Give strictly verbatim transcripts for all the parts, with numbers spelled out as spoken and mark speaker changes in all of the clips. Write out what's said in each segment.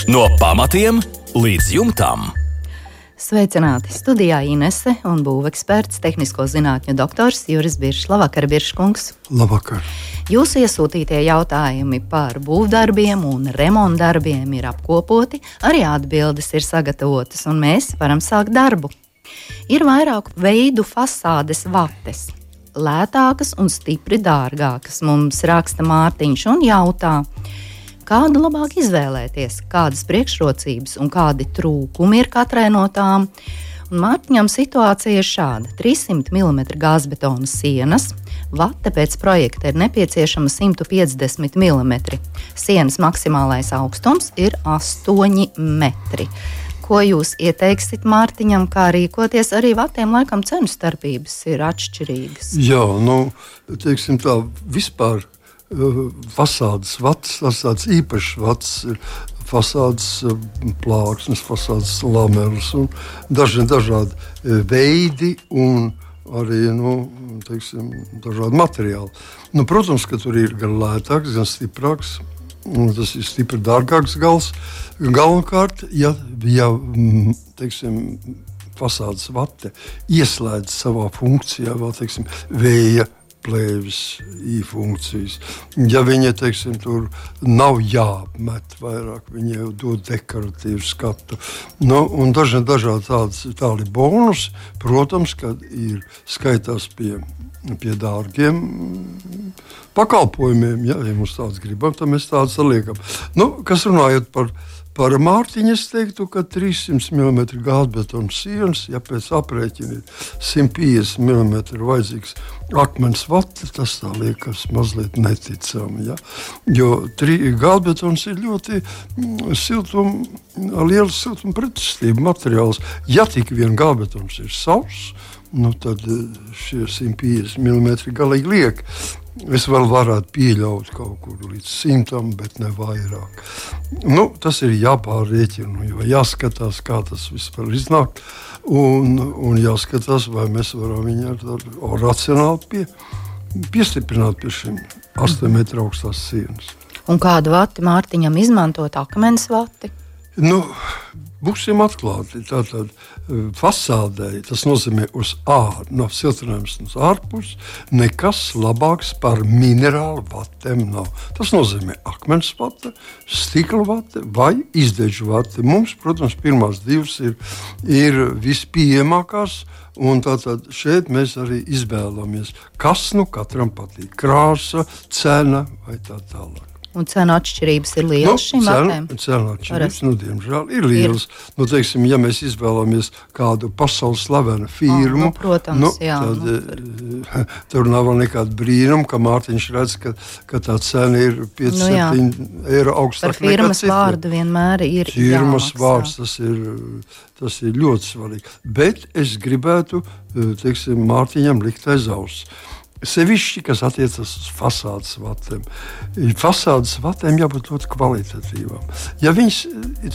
Speaker 1: No pamatiem līdz jumtam.
Speaker 2: Sveicināti! Studijā Inese un būveksperts, tehnisko zinātņu doktors Juris Biršs. Labvakar, Birškungs!
Speaker 3: Labvakar!
Speaker 2: Jūsu iesūtītie jautājumi par būvdarbiem un remontdarbiem ir apkopoti, arī atbildes ir sagatavotas, un mēs varam sākt darbu. Ir vairāku veidu fasādes vates. Lētākas un stipri dārgākas, mums raksta Mārtiņš un jautā, kādu labāk izvēlēties, kādas priekšrocības un kādi trūkumi ir katrai no tām. Un Mārtiņam situācija ir šāda: trīssimt milimetru gāzbetona sienas, vate pēc projekta ir nepieciešama simt piecdesmit milimetri. Sienas maksimālais augstums ir astoņi metri. Ko jūs ieteiksit Mārtiņam, kā rīkoties? Arī vatiem laikam cenu starpības ir atšķirīgas.
Speaker 3: Jā, nu, teiksim tā, vispār fasādes vatas, tas tāds īpašs vatas ir fasādes plāksnes, fasādes lamelas un daži dažādi veidi un arī, nu, teiksim, dažādi materiāli. Nu, protams, ka tur ir gan lētāks, gan stiprāks, un tas ir stipri dārgāks gals. Galvenokārt, ja, ja teiksim, fasādes vate ieslēdz savā funkcijā vēl, teiksim, vēja plēvis, īfunkcijas. Ja viņa, teiksim, tur nav jāapmet vairāk, viņa jau dod dekoratīvu skatu. Nu, un daži dažādi tādi, tādi bonus, protams, kad ir skaitās pie, pie dārgiem pakalpojumiem. Ja, ja mums tāds gribam, tad mēs tāds liekam. Nu, kas runājot par Par Mārtiņu es teiktu, ka trīssimt milimetru gāzbetona sienas, ja pēc aprēķina ir simt piecdesmit milimetru vajadzīgs akmens vate, tas tā liekas mazliet neticami. Ja? Jo gāzbetons ir ļoti siltum, liels siltuma pretestība materiāls. Ja tik vien gāzbetons ir sauss, nu tad šie simt piecdesmit milimetri galīgi liek. Es vēl varētu pieļaut kaut kur līdz simtam, bet ne vairāk. Nu, tas ir jāpārrēķina, jo jāskatās, kā tas vispār iznāk, un, un jāskatās, vai mēs varam viņu ar racionāli pie, piestiprināt pie šiem astoņu metru augstās sienas.
Speaker 2: Un kādu vati Mārtiņam izmantot? Akmens vati?
Speaker 3: Nu, būsim atklāti. Tātad fasādē, tas nozīmē uz ārā, no siltinājums uz ārpus, nekas labāks par minerālu vatēm nav. Tas nozīmē akmens vate, stikla vate vai izdeģu vate. Mums, protams, pirmās divas ir, ir vispieejamākās, un tātad šeit mēs arī izvēlamies, kas nu katram patīk. Krāsa, cena vai tā tālāk.
Speaker 2: Un cenu atšķirības ir lielas
Speaker 3: nu,
Speaker 2: šīm vatēm?
Speaker 3: Cenu atšķirības, nu, diemžēl, ir lielas. Ir. Nu, teiksim, ja mēs izvēlamies kādu pasaules slavenu firmu,
Speaker 2: oh, nu, protams,
Speaker 3: nu,
Speaker 2: jā,
Speaker 3: tad
Speaker 2: nu,
Speaker 3: tur. tur nav nekāda brīnuma, ka Mārtiņš redz, ka, ka tā cena ir pieci septiņi eiro augstāk.
Speaker 2: Par firmas vārdu vienmēr ir
Speaker 3: firmas
Speaker 2: jāmaksā.
Speaker 3: Vārds, tas ir, tas ir ļoti svarīgi. Bet es gribētu, teiksim, Mārtiņam likt aiz auss. Sevišķi, kas attiecas uz fasādes vatēm. Fasādes vatēm jābūt ļoti kvalitatīvām. Ja viņas,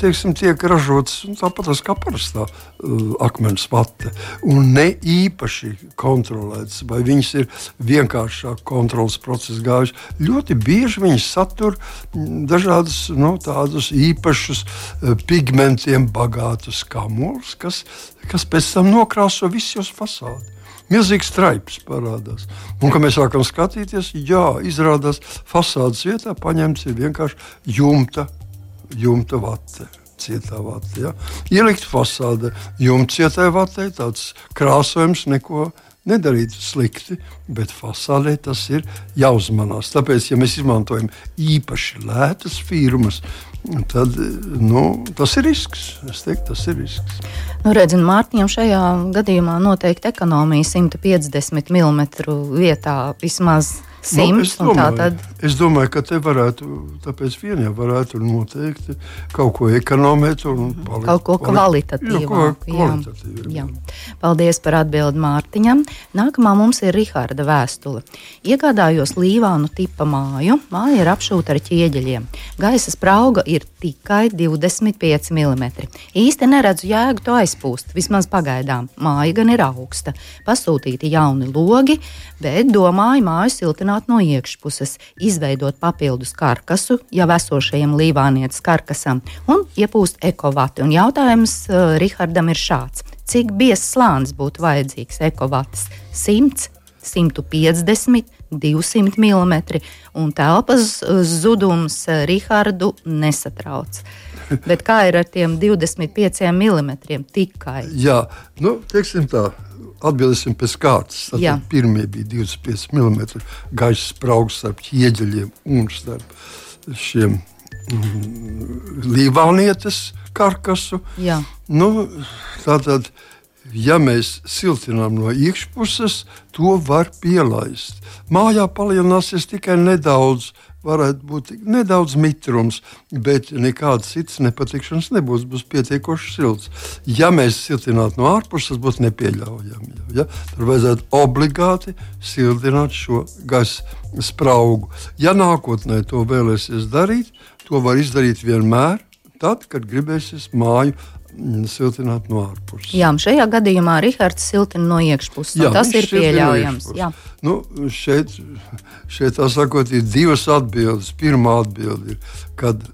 Speaker 3: teiksim, tiek ražotas tāpat kā parastā uh, akmens vate un ne īpaši kontrolētas, vai viņas ir vienkāršāk kontrolas procesa gājuši, ļoti bieži viņas satur dažādas, nu, tādus īpašus uh, pigmentiem bagātus kamolus, kas, kas pēc tam nokrāso visu jūs fasādi. Milzīgs straips parādās. Un, kad mēs sākam skatīties, jā, izrādās fasādes vietā paņemts ir vienkārši jumta, jumta vate, cietā vate. Ja? Ielikt fasāde jumta cietai vatei, tāds krāsojums neko nedarīt slikti, bet fasādē tas ir jāuzmanās. Tāpēc, ja mēs izmantojam īpaši lētas firmas, tad, nu, tas ir risks. Es teiktu, tas ir risks.
Speaker 2: Nu, redz, Mārtiņam šajā gadījumā noteikti ekonomija simt piecdesmit milimetru vietā vismaz simt.
Speaker 3: Nu, es, domāju, tad... es domāju, ka te varētu, tāpēc vien jau varētu noteikti kaut ko ekonomēt un palikt.
Speaker 2: Kaut ko kvalitatīvāk. Jā, jā, jā. Paldies par atbildi Mārtiņam. Nākamā mums ir Riharda vēstule. Iegādājos Līvānu tipa māju. Māja ir apšūta ar ķieģeļiem. Gaisa sprauga ir tikai divdesmit pieci milimetri. Īsti neredzu jēgu to aizpūst, vismaz pagaidām. Māja gan ir augsta. Pasūtīti jauni logi, bet domāju māju siltināt siltināt no iekšpuses, izveidot papildus karkasu jau esošajam līvānietes karkasam un iepūst ekovati. Un jautājums uh, Rihardam ir šāds. Cik biezs slānis būtu vajadzīgs ekovatas? simts, simt piecdesmit, divsimt milimetri, un telpas zudums Rihardu nesatrauc. Bet kā ir ar tiem divdesmit pieciem milimetriem tikai?
Speaker 3: Jā, nu, teiksim tā, atbildēsim pēc kārtas. Tātad pirmie bija divdesmit pieci milimetri gaisa spraugs starp ķieģeļiem un starp šiem mm, līvānietes karkasu.
Speaker 2: Jā.
Speaker 3: Nu, tātad, ja mēs siltinām no iekšpuses, to var pielaist. Mājā palielināsies tikai nedaudz, varētu būt nedaudz mitrums, bet nekādas citas nepatikšanas nebūs, būs pietiekoši silts. Ja mēs siltinātu no ārpuses, tas būtu nepieļaujami. Ja? Tur vajadzētu obligāti siltināt šo gaisa spraugu. Ja nākotnē to vēlēsies darīt, to var izdarīt vienmēr, tad, kad gribēsies māju siltināt no ārpuses.
Speaker 2: Jā, šajā gadījumā Rihards siltina no iekšpuses. Jā, tas ir pieļaujams. Jā.
Speaker 3: Nu, šeit, šeit tā sakot, ir divas atbildes. Pirmā atbilde ir, kad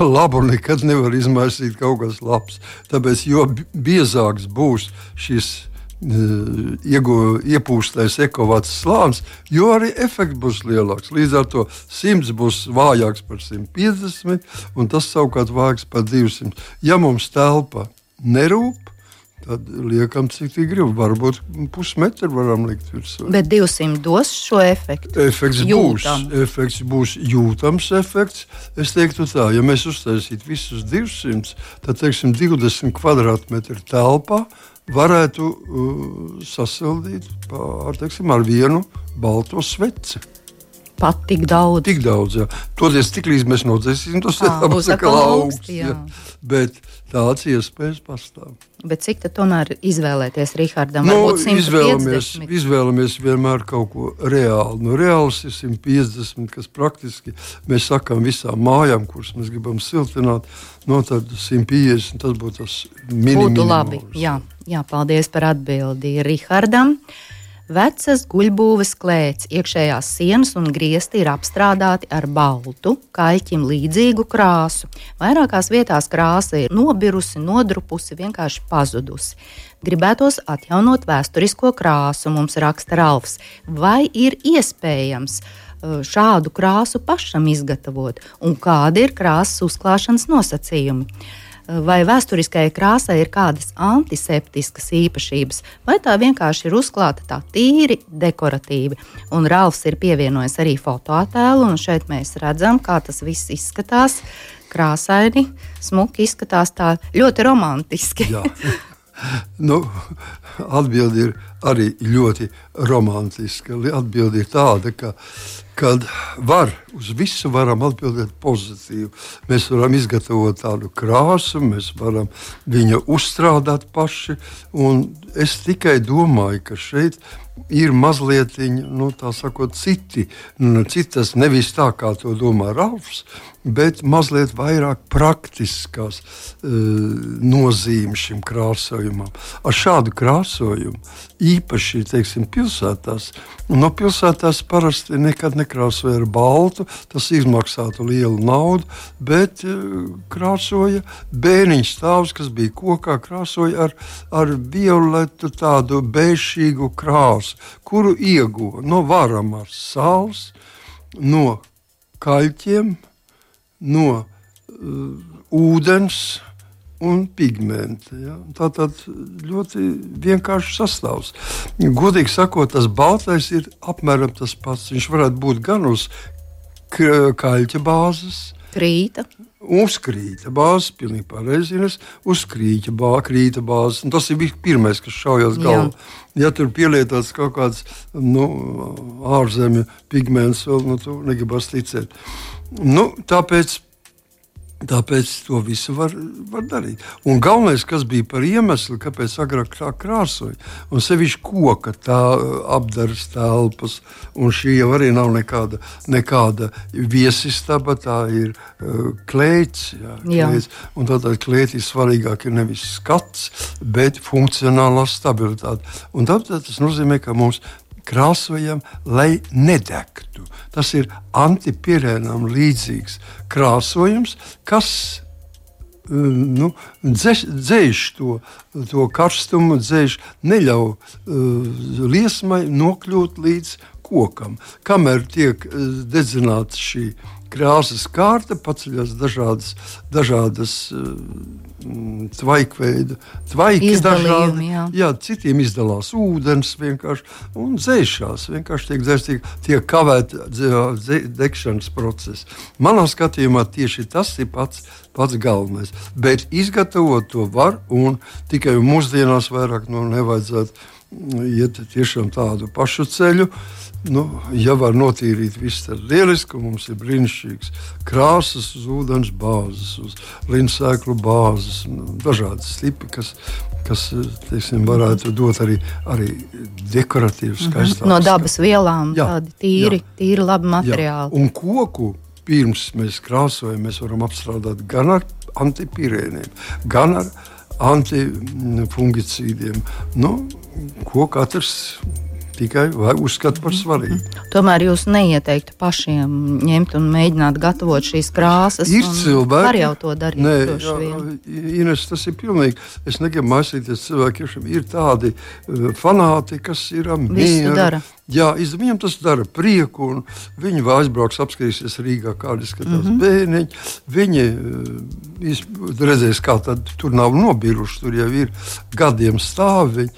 Speaker 3: labu nekad nevar izmaisīt kaut kas labs. Tāpēc, jo biezāks būs šis Iegu, iepūstais ekovats slānis, jo arī efekts būs lielāks. Līdz ar to simts būs vājāks par simt piecdesmit, un tas savukārt vājāks par divsimt. Ja mums telpa nerūp, tad liekam, cik tik grib. Varbūt pusmetru varam likt virsū.
Speaker 2: Bet divsimt dos šo efektu?
Speaker 3: Efekts būs, efekts būs jūtams efekts. Es teiktu tā, ja mēs uztaisītu visus divsimt, tad, teiksim, divdesmit kvadrātmetri telpā varētu uh, sasildīt pār, teiksim, ar vienu balto sveci.
Speaker 2: Pat tik daudz?
Speaker 3: Tik daudz, jā. Toties tik līdz mēs nodzēsīsim, tas
Speaker 2: à, būs atkal augsts, jā. Jā.
Speaker 3: Bet tāds iespējas pastāv.
Speaker 2: Bet cik tad tomēr izvēlēties Rihardam?
Speaker 3: Nu,
Speaker 2: Varbūt simt piecdesmit?
Speaker 3: Izvēlamies, izvēlamies vienmēr kaut ko reāli. Nu, reāls ir simt piecdesmit, kas praktiski mēs sakām visām mājām, kuras mēs gribam siltināt, no tad simt piecdesmit, tas būtu tas minimums.
Speaker 2: Būtu labi, jā. Jā, paldies par atbildi Rihardam. Vecas guļbūves klēts, iekšējās sienas un griesti ir apstrādāti ar baltu, kaļķim līdzīgu krāsu. Vairākās vietās krāsa ir nobirusi, nodrupusi, vienkārši pazudusi. Gribētos atjaunot vēsturisko krāsu, mums raksta Ralfs. Vai ir iespējams šādu krāsu pašam izgatavot? Un kādi ir krāsas uzklāšanas nosacījumi? Vai vēsturiskajai krāsai ir kādas antiseptiskas īpašības, vai tā vienkārši ir uzklāta tā tīri dekoratīvi. Un Ralfs ir pievienojis arī fotoattēlu, un šeit mēs redzam, kā tas viss izskatās krāsaini, smuki izskatās tā ļoti romantiski.
Speaker 3: Jā. Nu, atbildi ir arī ļoti romantiska. Atbildi ir tāda, ka kad var, uz visu varam atbildēt pozitīvi. Mēs varam izgatavot tādu krāsu, mēs varam viņu uzstrādāt paši, un es tikai domāju, ka šeit ir mazliet, nu, tā sakot, citi, nu, citas nevis tā, kā to domā Ralfs, bet mazliet vairāk praktiskās uh, nozīmes šim krāsojumam. Ar šādu krāsojumu īpaši, teiksim, pilsētās, no pilsētās parasti nekad nekrāsoja ar baltu, tas izmaksātu lielu naudu, bet uh, krāsoja bēniņš stāvs, kas bija kokā, krāsoja ar, ar violetu tādu bēšīgu krāsu, kuru ieguva no varamās sāls, no kaļķiem, no uh, ūdens un pigmenta. Ja? Tātad ļoti vienkārši sastāvs. Godīgi sakot, tas baltais ir apmēram tas pats. Viņš varētu būt gan uz kaļķa bāzes,
Speaker 2: krīta.
Speaker 3: Uz krīta bāzes, pilnīgi pareizi, uz krīta, bā, krīta bāzes. Un tas ir pirmais, kas šaujās galvā. Ja tur pielietots kaut kāds nu, ārzemju pigments, vēl, nu, tu negribas ticēt. Nu, tāpēc, tāpēc to visu var, var darīt. Un galvenais, kas bija par iemeslu, kāpēc agrāk tā krāsoja, un sevišķi koka tā apdaras telpas, un šī jau arī nav nekāda, nekāda viesistaba, tā ir uh, klēts, jā, klēts. Un tātad klētī svarīgāk ir nevis skats, bet funkcionālā stabilitāte. Un tātad tas nozīmē, ka mums krāsojam, lai nedegtu. Tas ir antipirēnam līdzīgs krāsojums, kas nu, dzēš, dzēš to, to karstumu, dzēš, neļauj uh, liesmai nokļūt līdz kokam. Kamēr tiek uh, dedzināta šī krāsas kārta, paceļas dažādas, dažādas uh, tvaikveida, tvaiki dažādi. Jā. Jā, citiem izdalās ūdens vienkārši un dzēšās. Vienkārši tiek dzēs, tiek, tiek kavēt degšanas process. Manā skatījumā tieši tas ir pats, pats galvenais. Bet izgatavot to var un tikai mūsdienās vairāk nu, nevajadzētu iet tiešām tādu pašu ceļu. Nu, ja var notīrīt visu, tad lieliski, mums ir brīnišķīgs krāsas uz ūdens bāzes, uz linsēklu bāzes, dažādas stipi, kas, kas teiksim, varētu dot arī, arī dekoratīvas, skaistākas.
Speaker 2: No dabas vielām, jā, tādi tīri, jā, tīri labi materiāli.
Speaker 3: Jā. Un koku pirms mēs krāsojam, mēs varam apstrādāt gan ar antipirēniem, gan ar antifungicīdiem. Nu, ko katrs tikai uzskata par svarīgu.
Speaker 2: Tomēr jūs neieteiktu pašiem ņemt un mēģināt gatavot šīs krāsas.
Speaker 3: Ir cilvēki,
Speaker 2: var jau to darīt.
Speaker 3: Nē, jā, Ines, tas ir pilnīgi. Es negribu maisīties cilvēkiem. Ir tādi uh, fanāti, kas ir mieru. Jā, viņam tas dara prieku, un viņi vēl aizbrauks, apskatīsies Rīgā, kādi skatās mm-hmm. bērniņi. Viņi uh, redzēs, kā tad tur nav nobiruši, tur jau ir gadiem stāvi.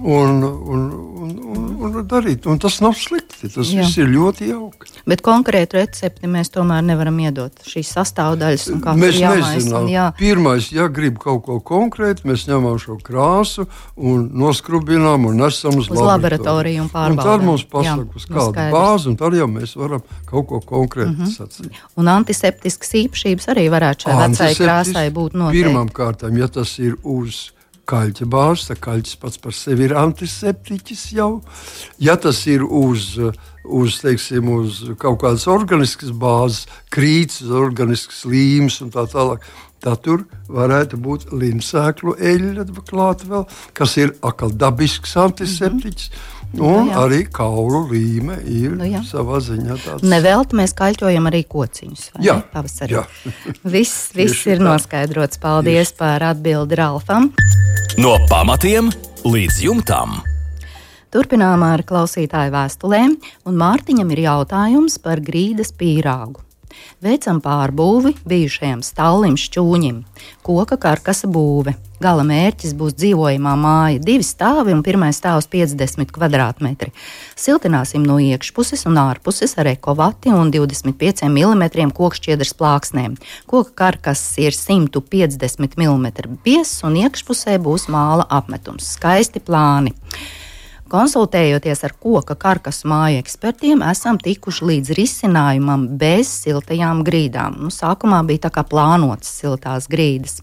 Speaker 3: Un, un, un, un, un darīt. Un tas nav slikti. Tas jā. Viss ir ļoti jauki.
Speaker 2: Bet konkrētu recepti mēs tomēr nevaram iedot. Šīs sastāvdaļas un kā
Speaker 3: mēs
Speaker 2: tur jāmais.
Speaker 3: Nezinām.
Speaker 2: Un jā.
Speaker 3: Pirmais, ja grib kaut ko konkrētu, mēs ņemam šo krāsu un noskrubinām un nesam uz,
Speaker 2: uz laboratoriju un pārbaudām.
Speaker 3: Un tad mums pasaka, uz kādu bāzi, un tad jau mēs varam kaut ko konkrētu mm-hmm. sacīt.
Speaker 2: Un antiseptiskas īpašības arī varētu šai vecai krāsai būt noteikti.
Speaker 3: Pirmām kārtām, ja tas ir uz kaļķa bāzes, tad kaļķis pats par sevi ir antiseptiķis jau. Ja tas ir uz, uz, teiksim, uz kaut kādas organiskas bāzes, krīts, organisks līmes un tā tālāk, tad tur varētu būt linsēklu eļļa klāt vēl, kas ir atkal dabisks antiseptiķis. Mm-hmm. Un nu, arī kaulu līme ir nu, savā ziņā tāds.
Speaker 2: Nevelti mēs kaļķojam arī kociņus.
Speaker 3: Jā,
Speaker 2: pavasarī.
Speaker 3: Jā.
Speaker 2: Viss, viss ir noskaidrots. Paldies Tieši. Par atbildi Ralfam.
Speaker 1: No pamatiem līdz jumtam.
Speaker 2: Turpinām ar klausītāju vēstulēm, un Mārtiņam ir jautājums par grīdas pīrāgu. Veicam pārbūvi bijušajam stallim šķūņim, koka karkasa būve. Gala mērķis būs dzīvojamā māja, divi stāvi un pirmais stāvs piecdesmit kvadrātmetri. Siltināsim no iekšpuses un ārpuses ar ekovati un divdesmit pieciem milimetriem kokšķiedras plāksnēm. Koka karkas ir simt piecdesmit milimetru biezs un iekšpusē būs māla apmetums. Skaisti plāni. Konsultējoties ar koka karkasu māju ekspertiem, esam tikuši līdz risinājumam bez siltajām grīdām. Nu, sākumā bija tā kā plānotas siltās grīdas.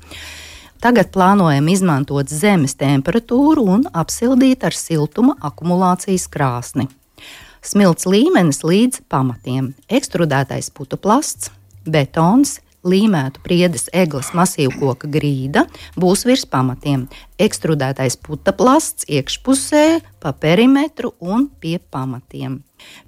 Speaker 2: Tagad plānojam izmantot zemes temperatūru un apsildīt ar siltuma akumulācijas krāsni. Smilts līmenis līdz pamatiem, ekstrudētais putuplasts, betons, līmētu priedes egles masīvkoka grīda būs virs pamatiem, ekstrudētais putaplasts iekšpusē, pa perimetru un pie pamatiem.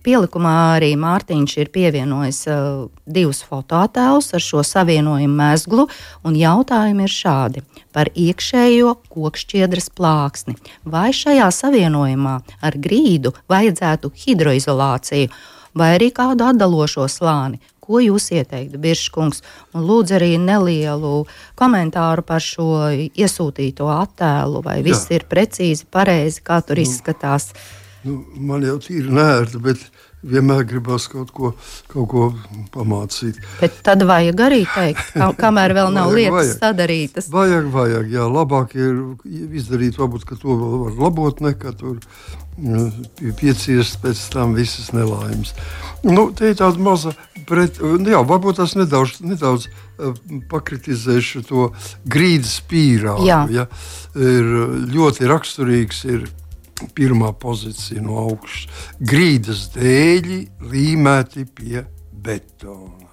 Speaker 2: Pielikumā arī Mārtiņš ir pievienojis uh, divus fotoattēlus ar šo savienojumu mezglu, un jautājumi ir šādi par iekšējo kokšķiedras plāksni. Vai šajā savienojumā ar grīdu vajadzētu hidroizolāciju vai arī kādu atdalošo slāni? Ko jūs ieteiktu, Birškungs? Un lūdzu arī nelielu komentāru par šo iesūtīto attēlu, vai viss Jā. Ir precīzi, pareizi, kā tur nu, izskatās.
Speaker 3: Nu, man jau tīri nērti, bet vienmēr gribas kaut ko, kaut ko pamācīt.
Speaker 2: Bet tad vajag arī teikt, kā, kamēr vēl nav vajag, lietas vajag. Sadarītas.
Speaker 3: Vajag, vajag, jā, labāk ir izdarīt, varbūt, ka to vēl var labot, nekā tur pieciest pēc tam visas nelaimes. Nu, te ir tāda maza, pret, jā, varbūt tas nedaudz, nedaudz pakritizēšu to grīdas pīrāgu. Jā. Ja, ir ļoti raksturīgs ir pirmā pozīcija no augšas. Grīdas dēļi līmēti pie betona.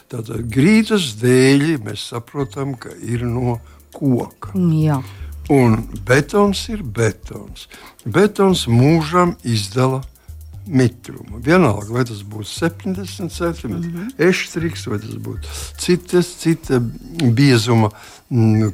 Speaker 3: Tātad grīdas dēļi mēs saprotam, ka ir no koka.
Speaker 2: Jā.
Speaker 3: Un betons ir betons. Betons mūžam izdala mitrumu. Vienalga, vai tas būtu septiņdesmit centimetri, mm -hmm. eštriks, vai tas būtu citas, cita biezuma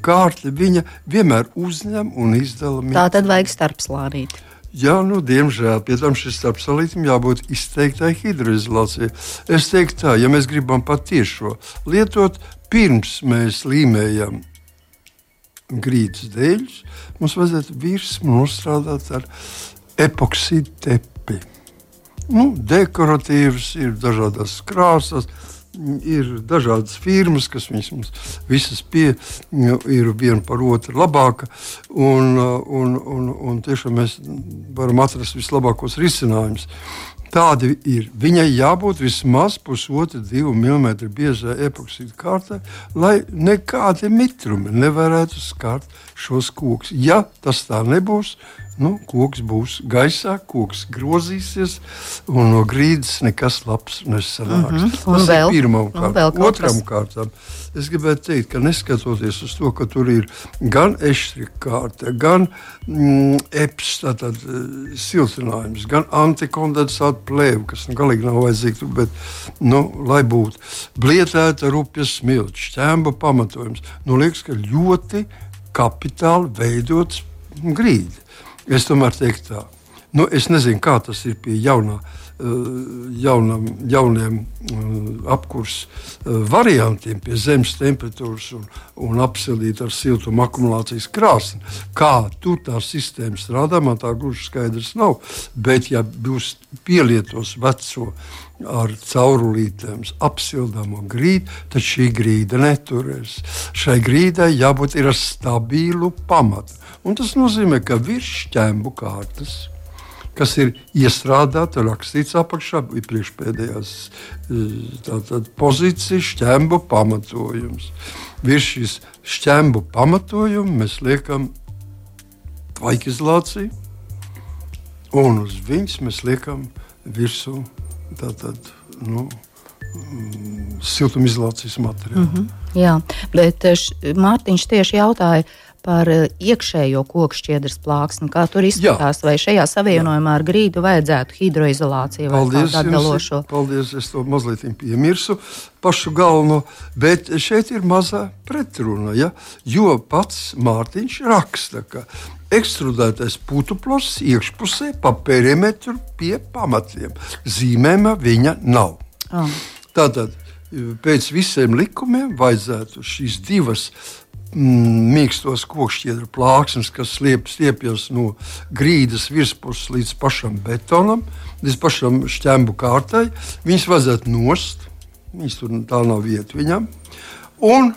Speaker 3: kārta, viņa vienmēr uzņem un izdala mitrumu.
Speaker 2: Tā tad vajag starpslānīt.
Speaker 3: Jā, nu, diemžēl, pie tam šis starpsalītim jābūt izteiktai hidroizolācijai. Es teiktu tā, ja mēs gribam patiešo lietot, pirms mēs līmējam grīdas dēļus, mums vajadzētu virsmu nostrādāt ar epoksīdu tepi. Nu, dekoratīvs, ir dažādas krāsas, ir dažādas firmas, kas viņas mums visas pie, ir viena par otru labāka, un, un, un, un tiešām mēs varam atrast vislabākos risinājumus. Tādi ir. Viņai jābūt vismaz pusotra, divu milimetru biezai epoksīdu kārtai, lai nekādi mitrumi nevarētu skart šos kokus. Ja tas tā nebūs, nu, koks būs gaisā, koks grozīsies, un no grīdas nekas labs nesanāks. Mm -hmm. Tas vēl, ir pirmām kārtām. Otram kārtām es gribētu teikt, ka neskatoties uz to, ka tur ir gan eštrika kārta, gan mm, eps, tātad siltinājums, gan antikondensāta plēve, kas nu, galīgi nav vajadzīga, bet, nu, lai būtu blietēta rupjas smilts, šķēmba pamatojums, nu, liekas, ka ļoti kapitāli veidots grīda. Es tomēr teiktu tā. Nu, es nezinu, kā tas ir pie jaunā, jaunam, jauniem apkurs variantiem, pie zemes temperatūras un, un apsildīt ar siltumu akumulācijas krāsni. Kā tur tā sistēma strādā, man tā gluži skaidrs nav. Bet, ja būs pielietos veco ar caurulītēm apsildāmo grīdu, tad šī grīda neturēs. Šai grīdai jābūt ir ar stabilu pamatu. Un tas nozīmē, ka virs šķembu kārtas, kas ir iestrādāta, rakstīts apakšā, ir priekšpēdējās tātad pozīcijas šķembu pamatojums. Virs šīs šķembu pamatojuma mēs liekam tvaikizolāciju, un uz viņas mēs liekam virsū tātad, nu, siltumizolācijas materiālu.
Speaker 2: Mm -hmm, jā, bet š, Mārtiņš tieši jautāja par iekšējo kokšķiedras plāksni. Kā tur izskatās, jā. Vai šajā savienojumā ar grīdu vajadzētu hidroizolāciju vai
Speaker 3: paldies,
Speaker 2: kādu atdalošo?
Speaker 3: Jums, paldies, es to mazliet piemirsu pašu galveno, bet šeit ir mazā pretruna, ja? Jo pats Mārtiņš raksta, ka ekstrudētais putuplasts iekšpusē pa perimetru pie pamatiem. Zīmējuma viņa nav. Oh. Tātad pēc visiem likumiem vajadzētu šīs divas mm, mīkstos kokšķiedru plāksnes, kas sliep, stiepjas no grīdas virspuses līdz pašam betonam, līdz pašam šķembu kārtai, viņas vajadzētu nost, viņas tur tā nav vieta viņam, un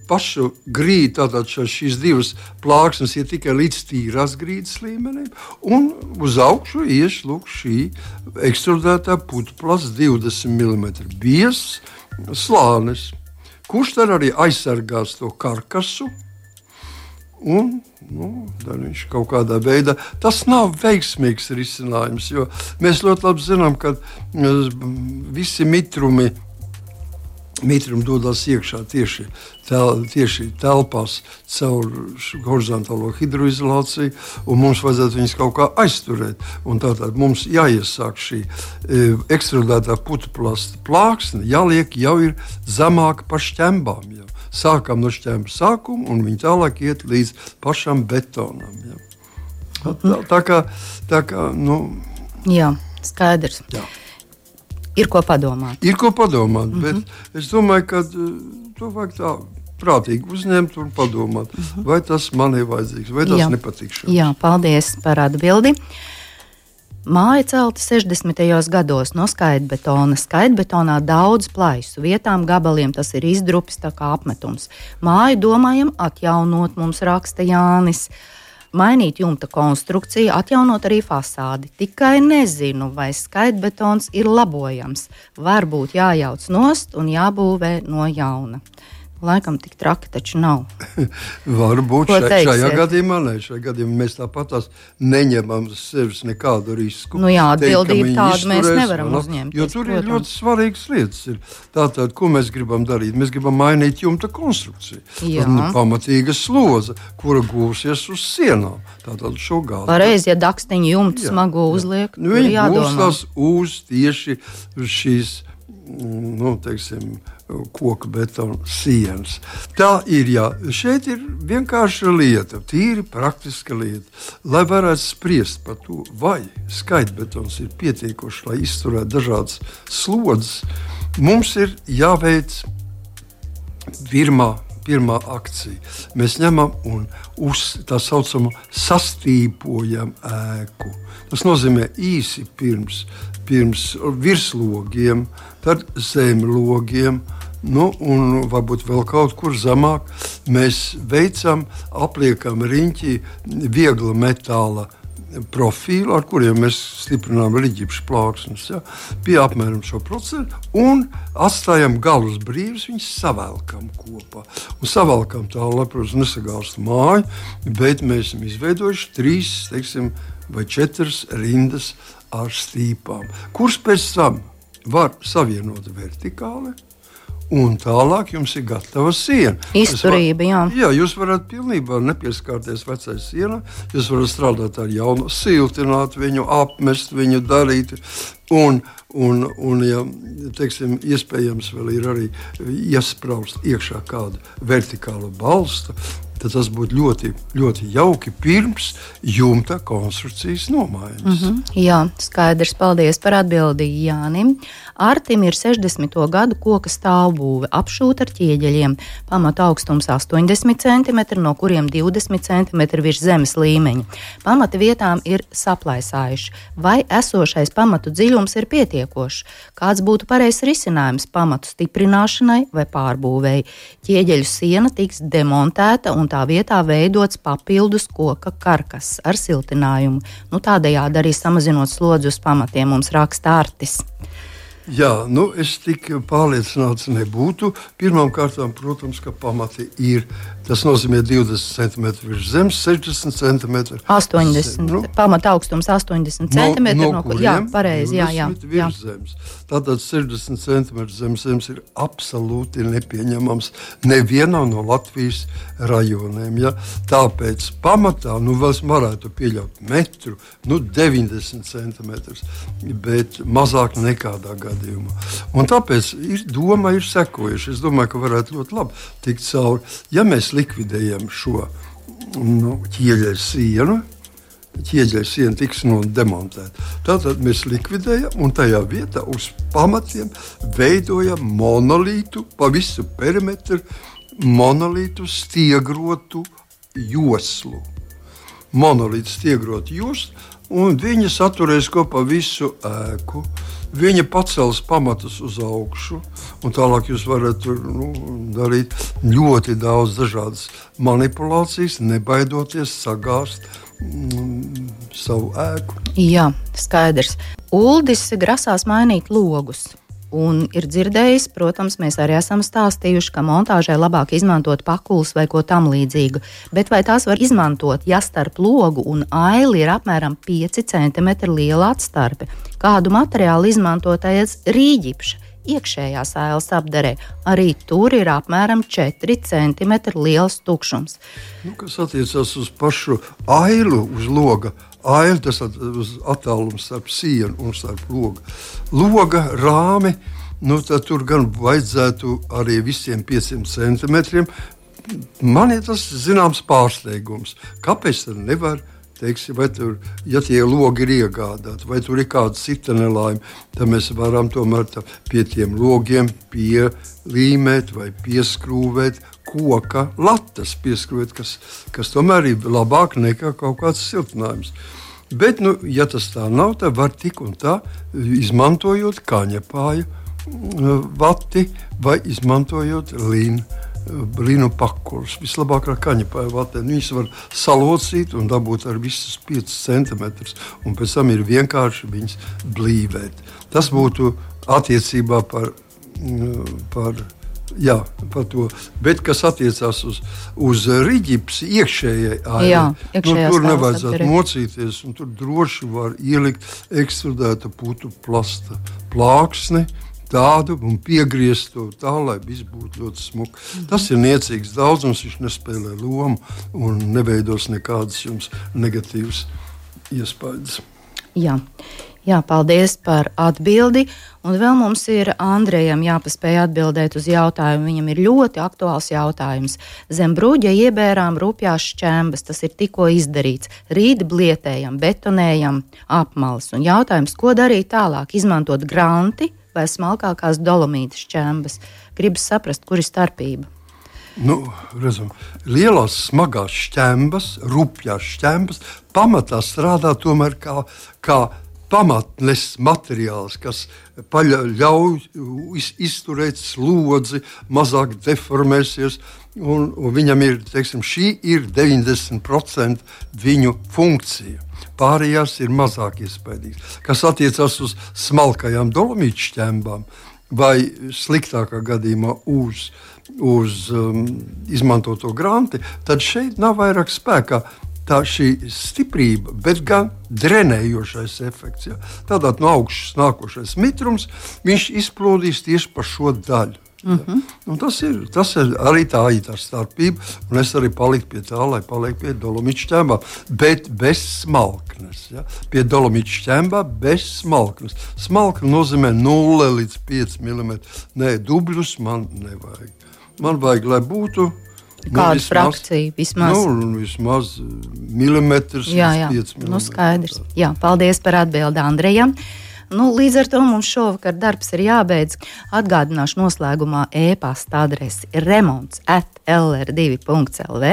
Speaker 3: pašu grīdu, tātad šīs divas plāksnes ir tikai līdz tīrās grīdas līmenim, un uz augšu ieš lūk šī ekstrudētā putuplasts divdesmit milimetru biezs slānis, kurš tad arī aizsargās to karkasu, un nu, viņš kaut kādā veidā, tas nav veiksmīgs risinājums, jo mēs ļoti labi zinām, ka visi mitrumi Mitrumi dodas iekšā tieši, tel, tieši telpās caur horizontālo hidroizolāciju, un mums vajadzētu viņus kaut kā aizturēt. Un tātad mums jāiesāk šī e, ekstrudētā putuplasta plāksne, jāliek jau ir zemāk par šķembām. Jau. Sākam no šķembu sākuma, un viņi tālāk iet līdz pašam betonam. Jau. Tā, tā, tā kā, tā kā, nu...
Speaker 2: Jā, skaidrs. Jā. Ir ko padomāt.
Speaker 3: Ir ko padomāt, mm -hmm. bet es domāju, ka to vajag tā prātīgi uzņemt un padomāt, mm -hmm. vai tas man ir vajadzīgs, vai tas
Speaker 2: Jā.
Speaker 3: nepatikšams.
Speaker 2: Jā, paldies par atbildi. Māja celta sešdesmitajos gados no skaidbetona. Skaidbetonā daudz plaisu, vietām gabaliem tas ir izdrupis tā kā apmetums. Māju domājam atjaunot, mums raksta Jānis. Mainīt jumta konstrukciju, atjaunot arī fasādi. Tikai nezinu, vai skaidbetons ir labojams. Varbūt jājauc nost un jābūvē no jauna. Laikam tik traki taču nav.
Speaker 3: Varbūt šai, šajā gadījumā, ne, šajā gadījumā mēs tāpat tās neņemam sevis nekādu risku.
Speaker 2: Nu jā, atbildību tādu mēs nevaram uzņemt.
Speaker 3: Jo tur protams. Ir ļoti svarīgas lietas. Ir. Tātad, ko mēs gribam darīt? Mēs gribam mainīt jumta konstrukciju. Tad pamatīga sloza, kura gūsies uz sienām. Tātad šo gāzi.
Speaker 2: Pareizi, ja dakstiņu jumtu smagu uzliek,
Speaker 3: nu, viņi gūstās uz tieši šīs, nu, teiksim, koka betona sienas. Tā ir, jā, šeit ir vienkārša lieta, tīri praktiska lieta. Lai varētu spriest par to, vai skaitbetons ir pietiekošs, lai izturētu dažādas slodzes, mums ir jāveic pirmā, pirmā akcija. Mēs ņemam un uz tā saucamo sastīpojam ēku. Tas nozīmē īsi pirms, pirms virslogiem, tad zemlogiem, nu, un varbūt vēl kaut kur zemāk. Mēs veicam, apliekam riņķī viegla metāla profilu, ar kuriem mēs stiprinām riģipšu plāksnes, ja, pie apmēram šo procentu, un atstājam galus brīvus, viņus savelkam kopā. Un savelkam tā, lai, protams, nesagāst māju, bet mēs esam izveidojuši trīs, teiksim, vai četras rindas ar stīpām, kuras pēc tam var savienot vertikāli, un tālāk jums ir gatava siena.
Speaker 2: Izturība, jā.
Speaker 3: Jā, jūs varat pilnībā nepieskārties vecai sienai, jūs varat strādāt ar jaunu, siltināt viņu, apmest viņu, darīt, un, un, un ja, teiksim, iespējams vēl ir arī iespraust iekšā kādu vertikālu balstu, tad tas būtu ļoti, ļoti jauki pirms jumta konstrukcijas nomaiņas.
Speaker 2: Mm-hmm. Jā, skaidrs, paldies par atbildi Jānim. Artim ir sešdesmito gadu koka stāvbūve, apšūta ar ķieģeļiem. Pamata augstums astoņdesmit centimetri, no kuriem divdesmit centimetri virs zemes līmeņa. Pamata vietām ir saplaisājuši. Vai esošais pamatu dziļums ir pietiekošs? Kāds būtu pareizs risinājums pamatu stiprināšanai vai pārbūvēji? Ķieģeļu siena tiks demontēta un tā vietā veidots papildus koka karkas ar siltinājumu. Nu, tādējādi arī samazinot slodzi uz pamatiem, mums raksta Artis.
Speaker 3: Jā, nu es tik pārliecināts nebūtu. Pirmām kārtām, protams, ka pamati ir, tas nozīmē divdesmit centimetri virs zemes, sešdesmit centimetri.
Speaker 2: astoņdesmit, nu, pamata augstums astoņdesmit centimetri.
Speaker 3: No, no kuriem,
Speaker 2: jā, pareizi, jā, jā.
Speaker 3: jā. Zemes. Tātad sešdesmit centimetri zemes zemes ir absolūti nepieņemams nevienā no Latvijas rajoniem. Ja? Tāpēc pamatā, nu vēl varētu pieļaut metru, nu deviņdesmit centimetrus, bet mazāk nekādā gadā. Un tāpēc ir, doma ir sekojuši. Es domāju, ka varētu ļoti labi tikt cauri. Ja mēs likvidējam šo nu, ķieģeļu sienu, ķieģeļu siena tiks nu, demontēta, tātad mēs likvidējam un tajā vietā uz pamatiem veidojam monolītu pa visu perimetru, monolītu stiegrotu joslu. Monolītu stiegrotu joslu, un viņi saturēs kopā visu ēku. Viņa pacels pamatus uz augšu, un tālāk jūs varat nu, darīt ļoti daudz dažādas manipulācijas, nebaidoties sagāzt mm, savu ēku.
Speaker 2: Jā, skaidrs. Uldis grasās mainīt logus. Un ir dzirdējis, protams, mēs arī esam stāstījuši, ka montāžai labāk izmantot pakulas vai ko tam līdzīgu. Bet vai tās var izmantot, ja starp logu un aili ir apmēram pieci centimetri liela atstarpe? Kādu materiālu izmantotais rīģipša iekšējās ailes apdarē? Arī tur ir apmēram četri centimetri liels tukšums.
Speaker 3: Nu, kas attiecas uz pašu ailu, uz loga, aili, tas uz attālumu starp sienu un starp logu. Loga rāmi, nu tad tur gan vajadzētu arī visiem pieciem centimetriem. Man ir tas zināms pārsteigums. Kāpēc tad nevar, teiksim, vai tur, ja tie logi ir iegādāti, vai tur ir kāda cita nelaime, tad mēs varam tomēr tā, pie tiem logiem pielīmēt vai pieskrūvēt koka latas, pieskrūvēt, kas, kas tomēr ir labāk nekā kaut kāds siltinājums. Bet, nu, ja tas tā nav, tad var tik un tā, izmantojot kaņepāju vati vai izmantojot līnu. Linu pakulas. Vislabāk ar kaņepāju vatēm. Viņas var salocīt un dabūt ar visus piecus centimetrus, un pēc tam ir vienkārši viņas blīvēt. Tas būtu attiecībā par, par Jā, par to. Bet kas attiecās uz, uz riģipsi iekšējai ājai,
Speaker 2: Jā,
Speaker 3: nu, tur nevajadzētu mocīties, un tur droši var ielikt ekstrudēta putu plasta plāksni, tādu un piegriezt to tā, lai viss būtu ļoti smuki. Mm-hmm. Tas ir niecīgs daudzums, viņš nespēlē lomu un neveidos nekādas jums negatīvas iespējas.
Speaker 2: Jā. Jā, paldies par atbildi. Un vēl mums ir Andrejam jāpaspēj atbildēt uz jautājumu. Viņam ir ļoti aktuāls jautājums. Zem bruģa iebērām rupjās šķembas. Tas ir tikko izdarīts. Rīt blietējam, betonējam apmales. Un jautājums, ko darīt tālāk? Izmantot granti vai smalkākās dolomīta šķembas? Gribas saprast, kur ir starpība.
Speaker 3: Nu, redzam, lielās smagās šķembas, rupjās šķembas pamatā strādā tomēr kā, kā pamatnes materiāls, kas ļauj izturēt slodzi, mazāk deformēsies, un, un viņam ir, teiksim, šī ir deviņdesmit procenti viņu funkcija. Pārējās ir mazāk iespaidīgas. Kas attiecas uz smalkajām dolomītu šķembām vai sliktākā gadījumā uz, uz um, izmantoto granti, tad šeit nav vairāk spēkā tā šī stiprība, bet gan drenējošais efekts. Ja? Tādāt no augšas nākošais mitrums, viņš izplūdīs tieši pa šo daļu. Mm-hmm. Ja? Tas, ir, tas ir arī tā ir tā starpība, un es arī paliku pie tā, lai paliek pie dolomītu šķembām, bet bez smalknes. Ja? Pie dolomītu šķembām bez smalknes. Smalkne nozīmē nulle līdz pieci milimetri. Nē, dubļus man nevajag. Man vajag, lai būtu
Speaker 2: kāda nu, frakcija vismaz?
Speaker 3: Nu, vismaz milimetrs
Speaker 2: jā, jā.
Speaker 3: līdz pieci milimetri.
Speaker 2: Nu, skaidrs. Jā, paldies par atbildi Andrejam. Nu, līdz ar to mums šovakar darbs ir jābeidz. Atgādināšu noslēgumā e-pasta adresi remonts at l r divi punkts l v.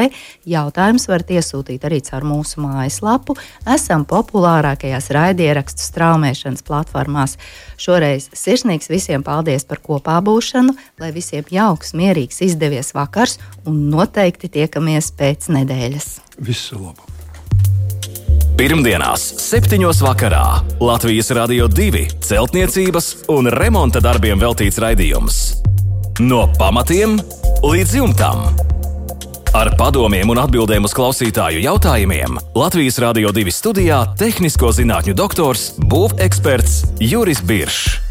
Speaker 2: Jautājums varat iesūtīt arī caur mūsu mājaslapu. Esam populārākajās raidierakstu straumēšanas platformās. Šoreiz sirsnīgs visiem paldies par kopā būšanu, lai visiem jauks, mierīgs, izdevies vakars un noteikti tiekamies pēc nedēļas.
Speaker 3: Visu labu!
Speaker 1: Pirmdienās, septiņos vakarā Latvijas Radio divi celtniecības un remonta darbiem veltīts raidījums. No pamatiem līdz jumtam. Ar padomiem un atbildēm uz klausītāju jautājumiem Latvijas Radio divi studijā tehnisko zinātņu doktors, būveksperts Juris Biršs.